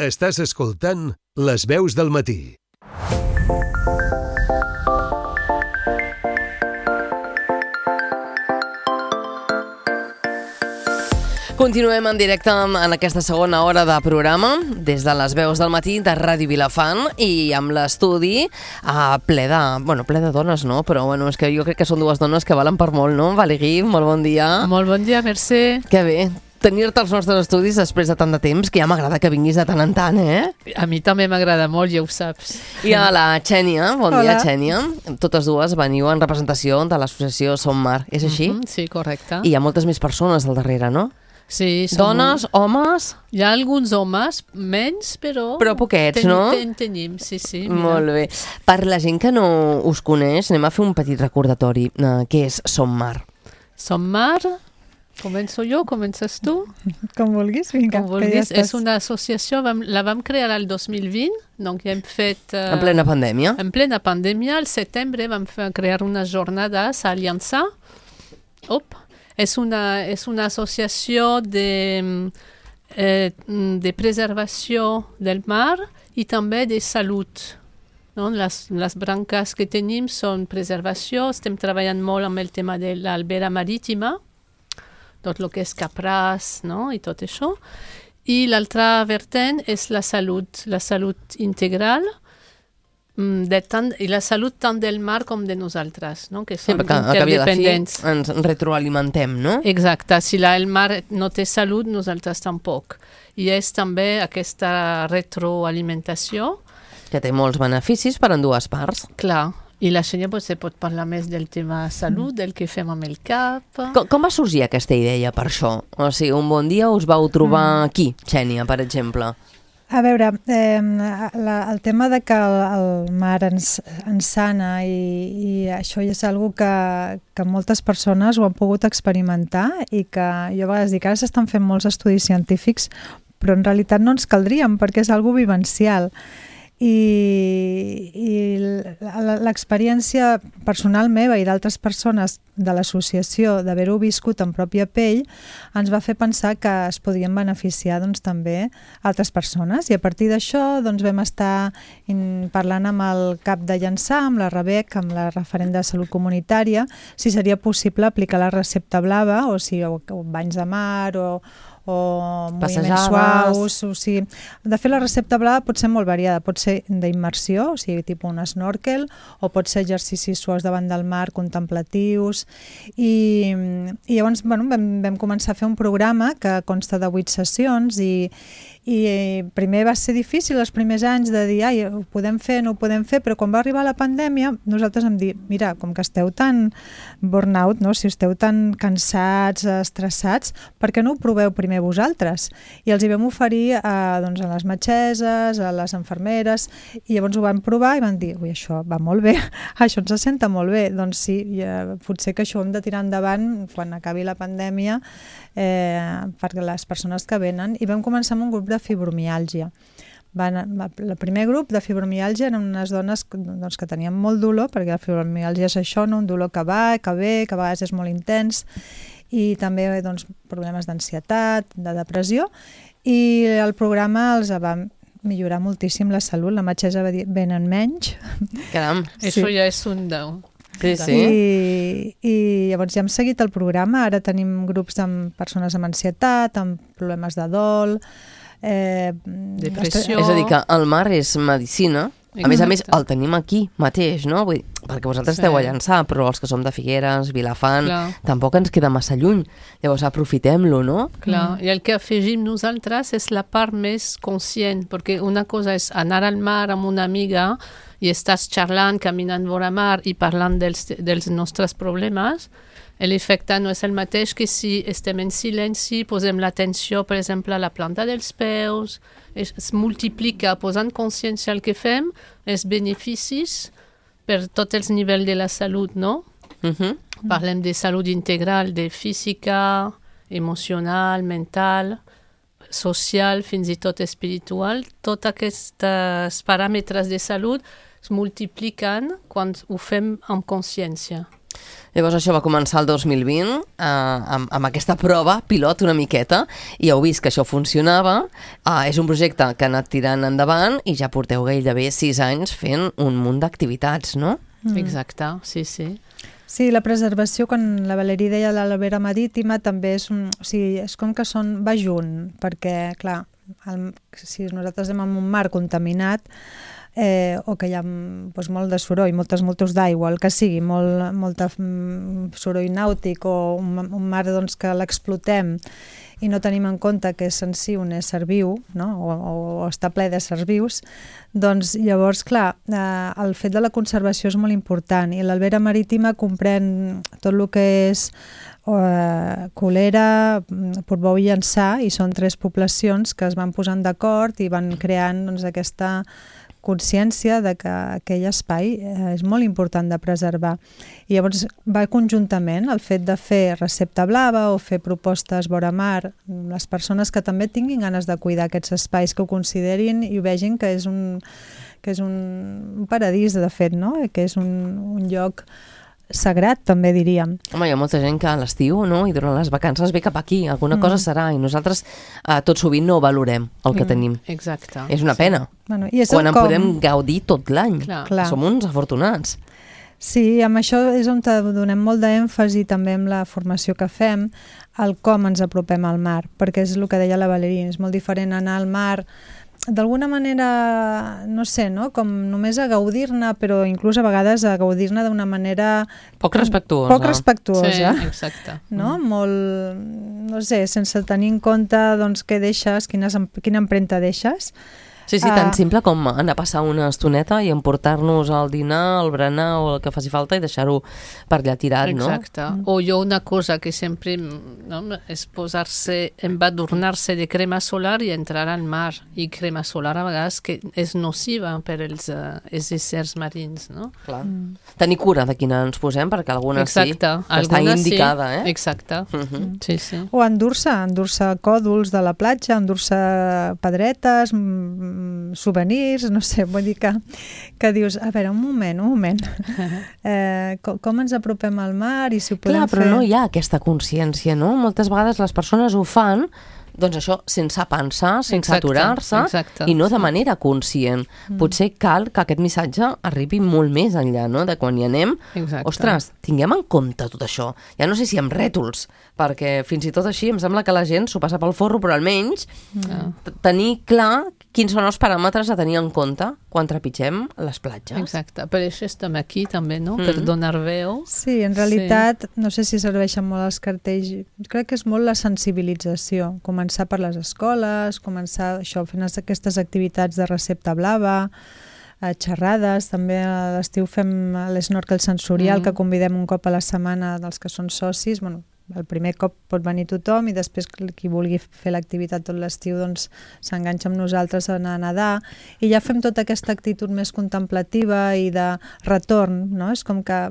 Estàs escoltant Les veus del matí. Continuem en directe en aquesta segona hora de programa des de les veus del matí de Ràdio Vilafant i amb l'estudi ple de dones, no? Però bueno, és que jo crec que són dues dones que valen per molt, no? Valeri, molt bon dia. Molt bon dia, Mercè. Que bé tenir-te als nostres estudis després de tant de temps, que ja m'agrada que vinguis de tant en tant, eh? A mi també m'agrada molt, ja ho saps. I a la Xènia, bon dia, Xènia. Totes dues veniu en representació de l'associació Som Mar, és així? Sí, correcte. I hi ha moltes més persones al darrere, no? Sí, dones, homes... Hi ha alguns homes, menys, però... Però poquets, no? Tenim, sí. Mira. Molt bé. Per la gent que no us coneix, anem a fer un petit recordatori. Què és Som Mar? Som Mar... Començo jo, comences tu? Com vulguis, vinga. Com vulguis. És una associació, la vam crear el 2020, doncs ja hem fet... En plena pandèmia? En plena pandèmia, al setembre vam crear unes jornades a Aliança. És una associació de preservació del mar i també de salut. No? Les branques que tenim són preservació, estem treballant molt amb el tema de l'albera marítima, tot el que és capràs, no? I tot això. I l'altra vertent és la salut integral, i la salut tant del mar com de nosaltres, no? Que són interdependents. Ens retroalimentem, no? Exacte. Si el mar no té salut, nosaltres tampoc. I és també aquesta retroalimentació. Que té molts beneficis per en dues parts. Clar. I la Xènia potser pot parlar més del tema salut, del que fem amb el cap. Com va sorgir aquesta idea per això? O sigui, un bon dia us vau trobar aquí, Xènia, per exemple. A veure, el tema de que el mar ens sana i això és una cosa que moltes persones ho han pogut experimentar i que jo a vegades dic, ara s'estan fent molts estudis científics, però en realitat no ens caldrien perquè és una cosa vivencial. I l'experiència personal meva i d'altres persones de l'associació d'haver-ho viscut en pròpia pell ens va fer pensar que es podien beneficiar doncs, també altres persones i a partir d'això doncs, vam estar parlant amb el cap de Llançà, amb la Rebec, amb la referent de salut comunitària, si seria possible aplicar la recepta blava o banys de mar o moviments suaus, o sigui, de fet la recepta blava pot ser molt variada, pot ser d'immersió, o sigui, tipus un snorkel, o pot ser exercicis suaus davant del mar, contemplatius, i llavors vam començar a fer un programa que consta de 8 sessions i primer va ser difícil els primers anys de dir, ho podem fer, no ho podem fer, però quan va arribar la pandèmia nosaltres vam dir, mira, com que esteu tan burnout, no? Si esteu tan cansats, estressats, per què no ho proveu primer vosaltres? I els hi vam oferir a les metgesses, a les infermeres, i llavors ho van provar i van dir, ui, això va molt bé, això ens senta molt bé, doncs sí, potser que això ho hem de tirar endavant quan acabi la pandèmia perquè les persones que venen, i vam començar amb un grup de fibromiàlgia. El primer grup de fibromiàlgia eren unes dones que tenien molt dolor, perquè la fibromiàlgia és això, un dolor que va, que ve, que a vegades és molt intens, i també problemes d'ansietat, de depressió, i el programa els va millorar moltíssim la salut. La metgessa va dir, venen menys. Caram, això ja és un 10. Sí. I llavors ja hem seguit el programa, ara tenim grups amb persones amb ansietat, amb problemes de dol, depressió. És a dir, que el mar és medicina. A més, el tenim aquí mateix, no? Vull dir, perquè vosaltres esteu a Llançà, però els que som de Figueres, Vilafant, tampoc ens queda massa lluny. Llavors, aprofitem-lo, no? Clar, i el que afegim nosaltres és la part més conscient, perquè una cosa és anar al mar amb una amiga i estàs xerrant, caminant vora mar i parlant dels nostres problemes, l'efecte no és el mateix que si estem en silenci, posem l'atenció, per exemple, a la planta dels peus, es multiplica, posant consciència al que fem, els beneficis per tots els nivells de la salut, no? Parlem de salut integral, de física, emocional, mental, social, fins i tot espiritual. Tots aquests paràmetres de salut es multipliquen quan ho fem amb consciència. Llavors això va començar el 2020 amb aquesta prova pilot una miqueta i heu vist que això funcionava. És un projecte que ha anat tirant endavant i ja porteu gairebé 6 anys fent un munt d'activitats, no? Exacte, sí. Sí, la preservació, quan la Valerie deia l'albera marítima, també és, és com que va junt, perquè, clar, si nosaltres anem en un mar contaminat, o que hi ha molt de soroll, moltes d'aigua, el que sigui, molt soroll nàutic o un mar que l'explotem i no tenim en compte que és en si un ésser viu, no? o està ple d'éssers vius, doncs llavors, clar, el fet de la conservació és molt important i l'albera marítima comprèn tot el que és Colera, Portbou i Llançà, i són 3 poblacions que es van posant d'acord i van creant aquesta consciència de que aquell espai és molt important de preservar. I llavors va conjuntament el fet de fer recepta blava o fer propostes vora mar, les persones que també tinguin ganes de cuidar aquests espais, que ho considerin i ho vegin que és un paradís, de fet, no? Que és un lloc sagrat, també diríem. Home, hi ha molta gent que a l'estiu, no? I durant les vacances ve cap aquí, alguna cosa serà, i nosaltres tot sovint no valorem el que tenim. Exacte. És una pena. Bueno, i és quan en podem gaudir tot l'any. Clar. Som uns afortunats. Sí, amb això és on donem molt d'èmfasi també amb la formació que fem, al com ens apropem al mar, perquè és el que deia la Valerie, és molt diferent anar al mar d'alguna manera, no sé, no? Com només a gaudir-ne, però inclús a vegades a gaudir-ne d'una manera poc respectuosa. Sí, exacte. No? Molt, no sé, sense tenir en compte què deixes, quina empremta deixes. Sí, tan simple com anar a passar una estoneta i emportar-nos al dinar, al berenar o el que faci falta i deixar-ho per allà tirat, no? Exacte. O jo una cosa que sempre és posar-se, embadurnar-se de crema solar i entrar al mar. I crema solar a vegades que és nociva per als éssers marins, no? Clar. Tenir cura de quina ens posem, perquè alguna sí, que està indicada, sí. Exacte. Sí. O endur-se còdols de la platja, endur-se pedretes, souvenirs, no sé, vull dir que dius, a veure, un moment, com ens apropem al mar i si ho podem fer... Clar, però no hi ha aquesta consciència, no? Moltes vegades les persones ho fan, doncs això, sense pensar, sense aturar-se i no de manera conscient. Potser cal que aquest missatge arribi molt més enllà, no? De quan hi anem. Ostres, tinguem en compte tot això. Ja no sé si amb rètols, perquè fins i tot així em sembla que la gent s'ho passa pel forro, però almenys tenir clar quins són els paràmetres a tenir en compte quan trepitgem les platges. Exacte, per això estem aquí també, no? Per donar veu. Sí, en realitat, no sé si serveixen molt els cartells, crec que és molt la sensibilització, començar per les escoles, començar això, fent aquestes activitats de recepta blava, xerrades, també a l'estiu fem l'snorkel sensorial, que convidem un cop a la setmana dels que són socis, bueno, el primer cop pot venir tothom i després qui vulgui fer l'activitat tot l'estiu doncs s'enganxa amb nosaltres a anar a nedar i ja fem tota aquesta actitud més contemplativa i de retorn, no? És com que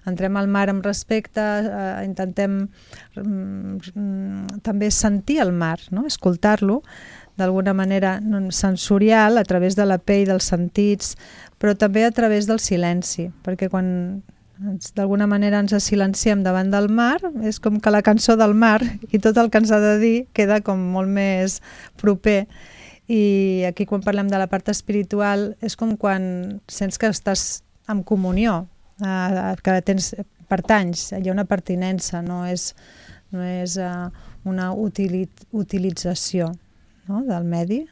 entrem al mar amb respecte, intentem també sentir el mar, no? Escoltar-lo d'alguna manera sensorial a través de la pell, dels sentits, però també a través del silenci, perquè quan d'alguna manera ens silenciem davant del mar, és com que la cançó del mar i tot el que ens ha de dir queda com molt més proper. I aquí quan parlem de la part espiritual és com quan sents que estàs en comunió, que pertanys, hi ha una pertinença, no és una utilització, no? Del medi.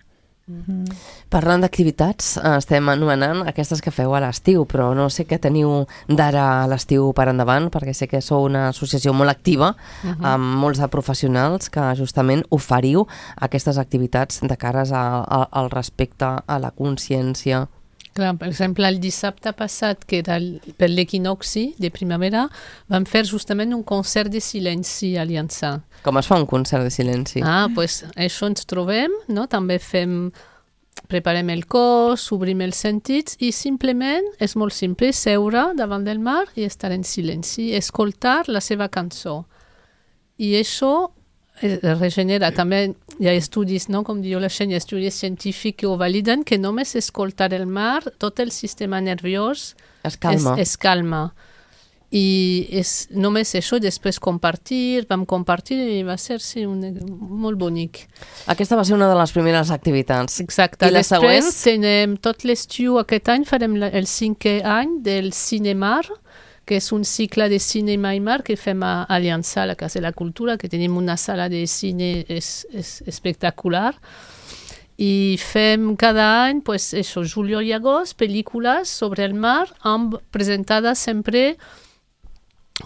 Parlant d'activitats, estem anomenant aquestes que feu a l'estiu, però no sé què teniu d'ara a l'estiu per endavant, perquè sé que sou una associació molt activa amb molts de professionals que justament oferiu aquestes activitats de cares al respecte, a la consciència. Clar, per exemple, el dissabte passat, que era per l'equinoxi de primavera, vam fer justament un concert de silenci a Llançà. Com es fa un concert de silenci? Doncs això ens trobem, no? També preparem el cos, obrim els sentits i simplement, és molt simple, seure davant del mar i estar en silenci, escoltar la seva cançó. I això regenera. També hi ha estudis, no? Com diu la gent, hi ha estudis científics que ho validen, que només escoltar el mar, tot el sistema nerviós es calma. i només això, després vam compartir i va ser molt bonic. Aquesta va ser una de les primeres activitats. Exacte. I les següents? Tenim tot l'estiu aquest any, farem el 5è any del Cinemar, que és un cicle de cinema i mar que fem a Aliança, a la Casa de la Cultura, que tenim una sala de cine espectacular. I fem cada any, juliol i agost, pel·lícules sobre el mar, presentades sempre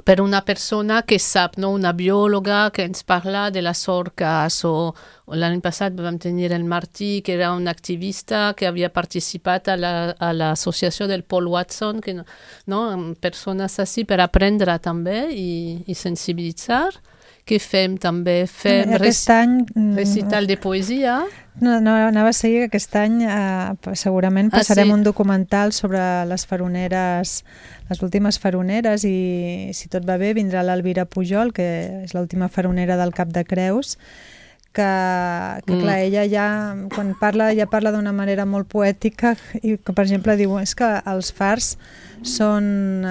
per una persona que sap, no? Una biòloga que ens parla de les orques, o l'any passat vam tenir el Martí, que era un activista que havia participat a l'associació del Paul Watson, que, no? Persones així per aprendre també i sensibilitzar. Què fem també? Fem recital de poesia. No, anava a seguir que aquest any segurament passarem un documental sobre les faroneres, les últimes faroneres, i si tot va bé vindrà l'Elvira Pujol, que és l'última faronera del Cap de Creus, que clar, ella ja, quan parla d'una manera molt poètica, i que per exemple diu, és que els fars són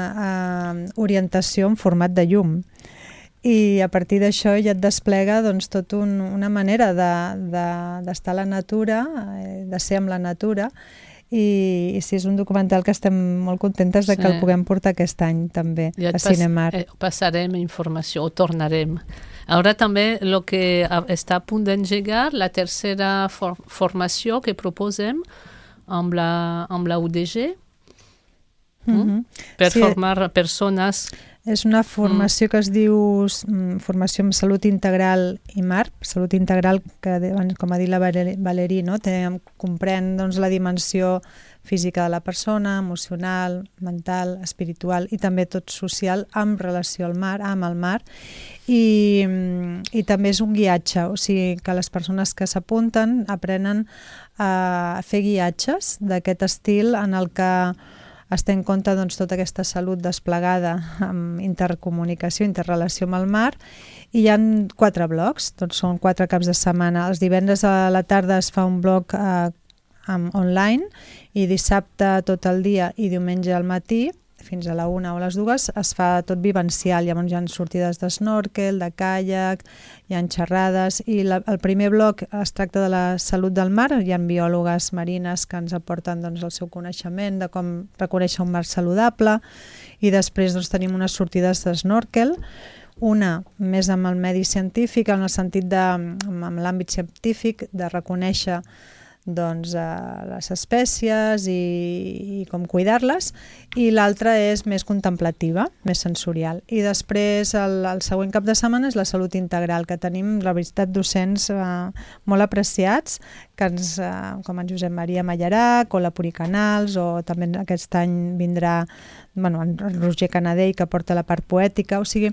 orientació en format de llum. I a partir d'això ja et desplega doncs, tot una manera d'estar a la natura, de ser amb la natura, i sí, és un documental que estem molt contentes de que el puguem portar aquest any també a Cinemar. Passarem informació, o tornarem. Ara també el que està a punt d'engegar, la tercera formació que proposem amb la UDG, per formar persones. És una formació que es diu Formació en Salut Integral i Mar. Salut Integral, que com ha dit la Valerí, no? Comprèn doncs, la dimensió física de la persona, emocional, mental, espiritual i també tot social amb relació al mar, amb el mar. I també és un guiatge, o sigui que les persones que s'apunten aprenen a fer guiatges d'aquest estil en el que es té en compte doncs, tota aquesta salut desplegada amb intercomunicació, interrelació amb el mar, i hi ha 4 blocs, doncs són 4 caps de setmana. Els divendres a la tarda es fa un bloc online, i dissabte tot el dia i diumenge al matí, fins a la 1 o a les 2, es fa tot vivencial. Llavors hi ha sortides d'esnòrquel, de caiac, hi ha xerrades, i el primer bloc es tracta de la salut del mar. Hi ha biòlogues marines que ens aporten doncs, el seu coneixement de com reconèixer un mar saludable, i després doncs, tenim unes sortides d'esnòrquel, una més amb el medi científic, en el sentit amb l'àmbit científic, de reconèixer doncs, les espècies i com cuidar-les, i l'altra és més contemplativa, més sensorial. I després el següent cap de setmana és la salut integral, que tenim, la veritat, docents molt apreciats, que com en Josep Maria Mallarac o la Puri Canals, o també aquest any vindrà en Roger Canadell, que porta la part poètica, o sigui,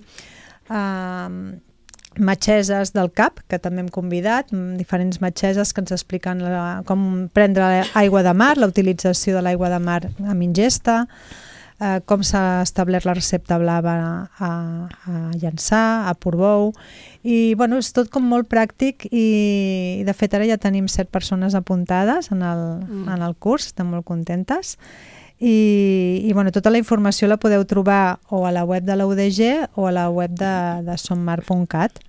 metgesses del CAP, que també hem convidat, diferents metgesses que ens expliquen com prendre aigua de mar, la utilització de l'aigua de mar amb ingesta, com s'ha establert la recepta blava a Llançà, a Portbou, i és tot com molt pràctic, i de fet ara ja tenim 7 persones apuntades en el curs, estem molt contentes. I tota la informació la podeu trobar o a la web de la UDG o a la web de sommar.cat.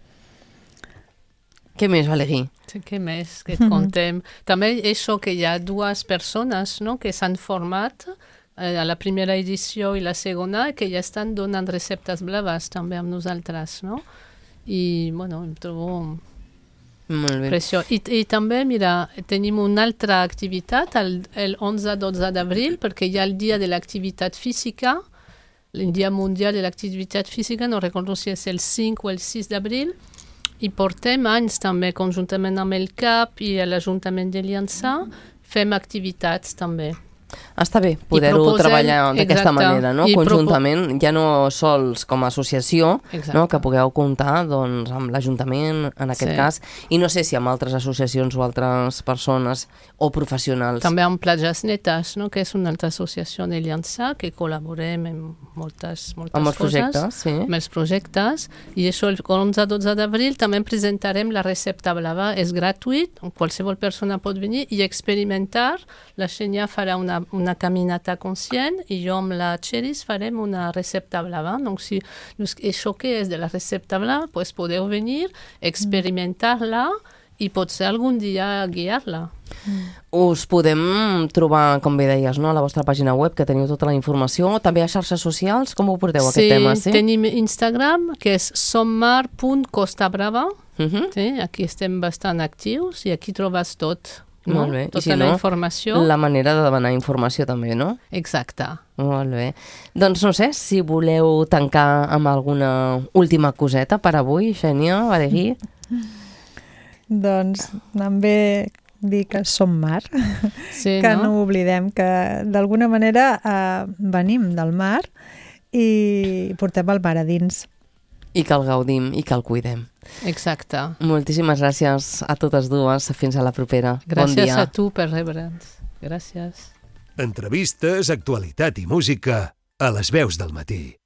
Què més, Valerí? Sí, què més que et contem? També això que hi ha 2 persones, no?, que s'han format a la primera edició i la segona, que ja estan donant receptes blaves també amb nosaltres, no? I, em trobo preciós. I també, mira, tenim una altra activitat el 11-12 d'abril, perquè hi ha el dia de l'activitat física, el dia mundial de l'activitat física, no recordo si és el 5 o el 6 d'abril, i portem anys també, conjuntament amb el CAP i l'Ajuntament de Llançà, fem activitats també. Està bé poder-ho treballar d'aquesta manera, no? Conjuntament, ja no sols com a associació, no? Que pugueu comptar doncs, amb l'Ajuntament, en aquest cas, i no sé si amb altres associacions o altres persones o professionals. També amb Platges Netes, no? Que és una altra associació de Llançà, que col·laborem en moltes amb els projectes, coses, amb els projectes, i això el 11-12 d'abril també presentarem la recepta blava, és gratuït, qualsevol persona pot venir i experimentar. La Xenia farà una una caminata conscient i jo amb la Cheris farem una recepta blava. Donc, si això que és de la recepta blava, pues podeu venir, experimentar-la i potser algun dia guiar-la. Us podem trobar, com bé deies, no? A la vostra pàgina web, que teniu tota la informació, també a xarxes socials, com ho porteu aquest tema? Sí, tenim Instagram, que és sommar.costabrava. Sí, aquí estem bastant actius i aquí trobes tot. No? Molt bé. Tota la informació. La manera de demanar informació també, no? Exacte. Molt bé. Doncs no sé, si voleu tancar amb alguna última coseta per avui, Xènia, Badegui. Doncs també dir que som mar, sí, que no oblidem que d'alguna manera venim del mar i portem el mar a dins. I que el gaudim i que el cuidem. Exacte. Moltíssimes gràcies a totes dues. Fins a la propera. Gràcies bon dia. A tu per rebre'ns. Gràcies. Entrevistes, actualitat i música a les veus del matí.